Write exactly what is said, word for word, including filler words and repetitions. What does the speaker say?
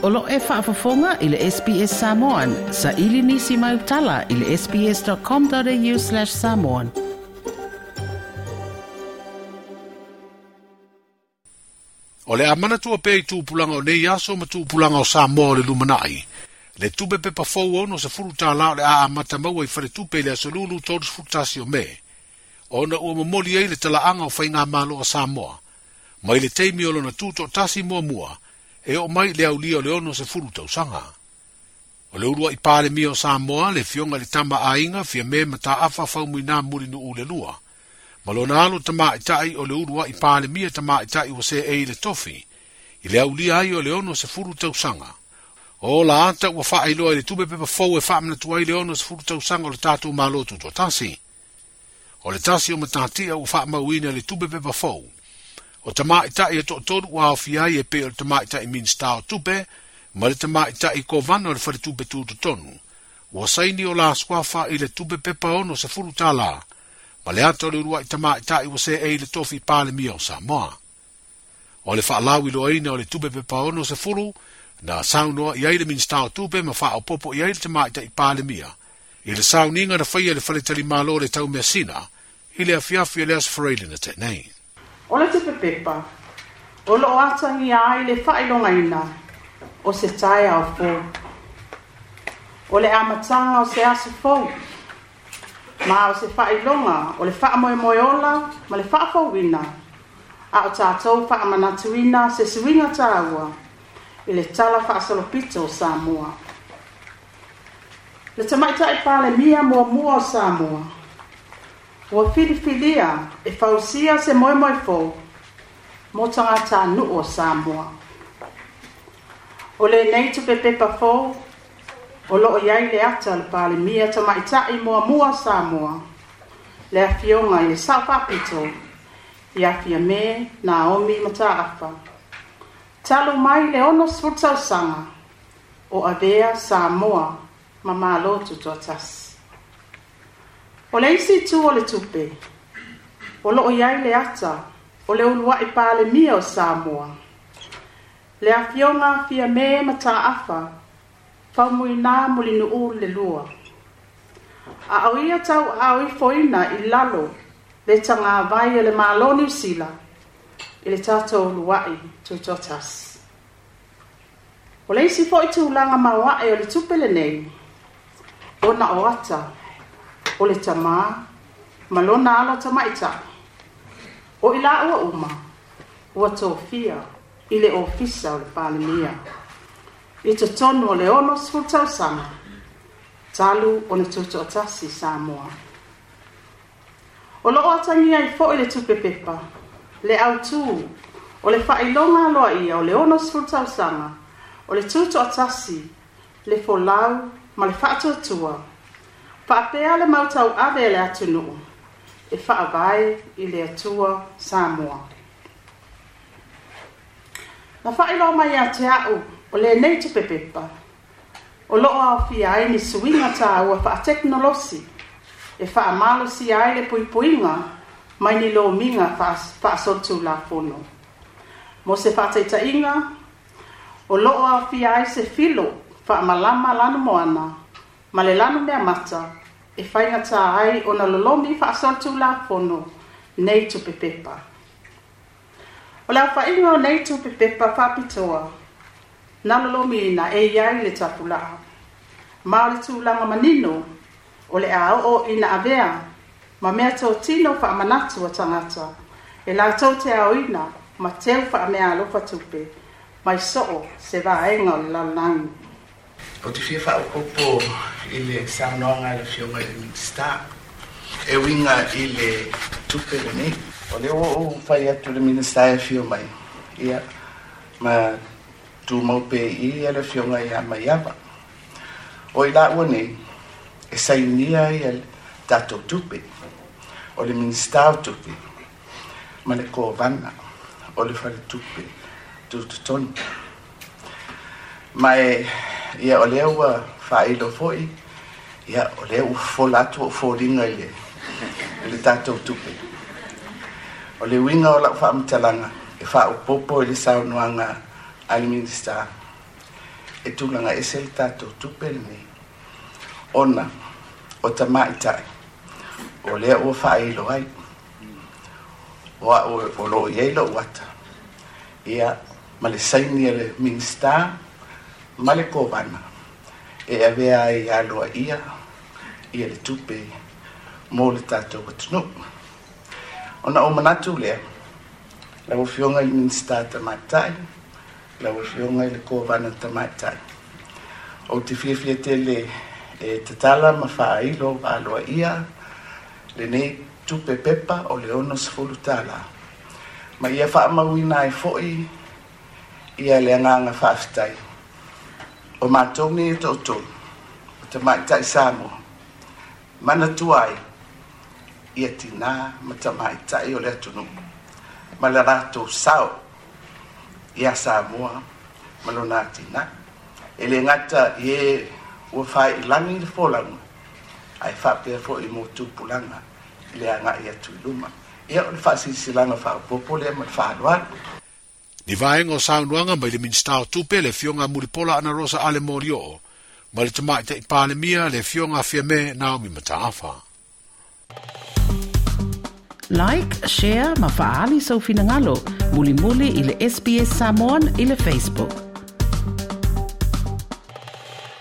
O lo e faafofoga i le S B S Samoan, sa ili nisi mai utala i le sbs.com.au slash samoan. O le amana tua pe i tūpulanga o nei aso ma tūpulanga o Samoa o le lumanai. Le tupe pepa fou ono se furu tāla o le aa matamaua i whare tupe i le aso lulu tolu sefulutasi o me. Ona ua momoli ai le talaanga o whainga malo a Samoa. Mai le teimi o lona tūto tasi mua mua, e o mai le aulia o le ono se furu tausanga. O le urua i pāle mia o Samoa, le fionga le tama ainga, fia me mataafa faumuina muri nu ule lua. Ma lona alo tama i tai o le urua i pāle mia tama i tai o se e i le tofi, i le aulia ai o le ono se furu tausanga. O la ata ua whaailoa i le tupe pepa fou e whaamanatu ai le ono se furu tausanga o le tātou malo tutoatasi. O le tasi o matatia ua whaamauina le tupe pepa fou. O tamaitai e to'atolu ua aofia ai e pei o le tamaitai Minista o Tupe, ma le tamaitai Kovana o le Faletupe Tutotonu. Ua saini o la suafa i le tupe pepa ono se fulu tālā, ma le ata o le uluai tamaitai ua se e i le tofi Palemia o Samoa. O le faalawiloaina o le tupe pepa ono se fulu, na saunoa i ai le Minista o Tupe ma faaopopo i ai le tamaitai Palemia, i le sauniga na faia le faletalimalo le taumeasina, i le afiafi o le aso Faraile na tenei. O le tupe pepa, o loo atangia ai le faailogaina o se taeao fou. O le amataga o se aso fou, ma o se faailoga o le faamoemoe ola ma le faafouina, a o tatou faamanatuina se suiga taua i le tala faasolopito o Samoa. Le tamaitai Palemia muamua o Samoa, ua filifilia e fausia se moemoe fou mo tagatanuu o Samoa. O lenei tupe pepa fou, o loo iai le ata le Palemia tamaitai muamua o Samoa, le afioga i le Sao Faapito, ia Fiame Naomi Mataafa. Talu mai le ono sefulu tausaga o avea Samoa ma malo tutoatasi. O le isi itu o le tupe, o loo iai le ata o le uluai Palemia o Samoa, le afioga Fiame Mataafa Faumuina Mulinuu le lua. A o ia tauaoifoina i lalo le tagavai e le Malo Niu Sila i le tatou uluai tutoatasi. O le isi foi tulaga maoae o le tupe lenei, ona o ata o le tamā ma lona alo tamaitai, o i laua uma ua tofia i le ofisa o le Palemia i totonu o le ono sefulu tausaga talu ona tutoatasi Samoa. O loo atagia ai foi le tupe pepa le autū o le faailoga aloaia o le ono sefulu tausaga o le tutoatasi, le folau ma le faatuatua, faapea le mautauave e le atunuu e faavae i le Atua Samoa. Na faailoa mai ia te au o lenei tupe pepa, o loo aofia ai ni suiga taua faatekonolosi e faamalosia ai le puipuiga mai ni lomiga faasolitulafono. Mo se faataitaiga, o loo aofia ai se filo faamalama lanumoana ma le lanu mea mata e faigata ai ona lolomi faasolitulafono nei tupe pepa. O le aofaiga o nei tupe pepa faapitoa, na lolomiina e iai le tapulaa, ma o le tulaga manino o le aoo ina avea ma mea totino faamanatu a tagata e latou te aoina ma teu faameaalofa tupe mai soo se vaega o le lalolagi. O te fia faaopopo i le saunoaga a le afioga i le Minista e uiga i le tupe lenei. O lea ua ou fai atu le Minista e afio mai, ia, ma tumau pe i le afioga ia Maiava. O i laua nei, e sainia ai le tatou tupe, o le Minista o Tupe, ma le Kovana o le Faletupe Tutotonu. Ma e, ia, o lea ua faailo foi, ia, o lea ua fofola atu o foliga i le, i le tatou tupe. O le uiga o lau faamatalaga e faaopopo i le saunoaga a le Minista. E tulaga ese le tatou tupe lenei ona o tamaitai o lea ua faailo ai o a'u o loo i ai lo'u ata ia ma le saini a le Minista ma le Kovana e avea ai aloaia ia le tupe mo le tatou atunuu. Ona ou manatu lea, lau Afioga i le Minista Tamaitai, lau Afioga i le Kovana Tamaitai, ou te fiafia tele e tatala ma faailo aloaia lenei tupe pepa o le ono sefulu tālā ma ia faamauina ai fo'i ia le agaga faafetai o matou nei e toatolu o tamaitai Samoa manatua ai ia tinā ma tamaitai o le atunuu ma le latou sao ia Samoa ma lona atinae. E le gata i e ua failagi le folauga ae faapea fo'i mo tupulaga i le aga'i atu i luma. Ia o le faasilasilaga faaopoopo lea ma le faaaloalo. Ni vaega o saunoaga mai le Minista o Tupe le Afioga Mulipola Anarosa Ale Molioo ma le Tamaitai Palemia le Afioga Fiame Naomi Mataafa. Like, share ma faaali sou finagalo. Mulimuli i le S B S Samoan i le Facebook.